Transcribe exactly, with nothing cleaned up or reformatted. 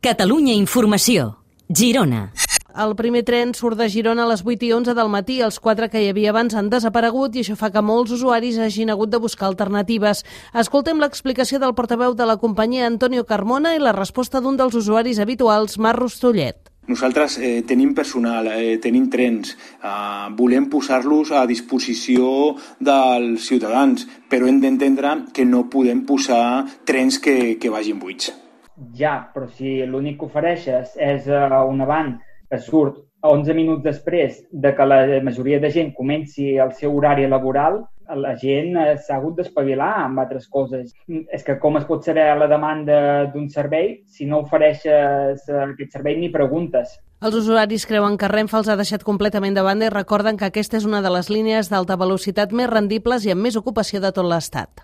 Catalunya Informació. Girona. El primer tren surt de Girona a les vuit i onze del matí. Els quatre que hi havia abans han desaparegut i això fa que molts usuaris hagin hagut de buscar alternatives. Escoltem l'explicació del portaveu de la companyia, Antonio Carmona, i la resposta d'un dels usuaris habituals, Marc Rostollet. Nosaltres eh, tenim personal, eh, tenim trens, eh, volem posar-los a disposició dels ciutadans, però hem d'entendre que no podem posar trens que, que vagin buits. Ja, però si l'únic que ofereixes és uh, un avant que surt onze minuts després de que la majoria de gent comenci el seu horari laboral, la gent s'ha hagut d'espavilar amb altres coses. És que com es pot saber la demanda d'un servei si no ofereixes aquest servei ni preguntes? Els usuaris creuen que Renfe els ha deixat completament de banda i recorden que aquesta és una de les línies d'alta velocitat més rendibles i amb més ocupació de tot l'Estat.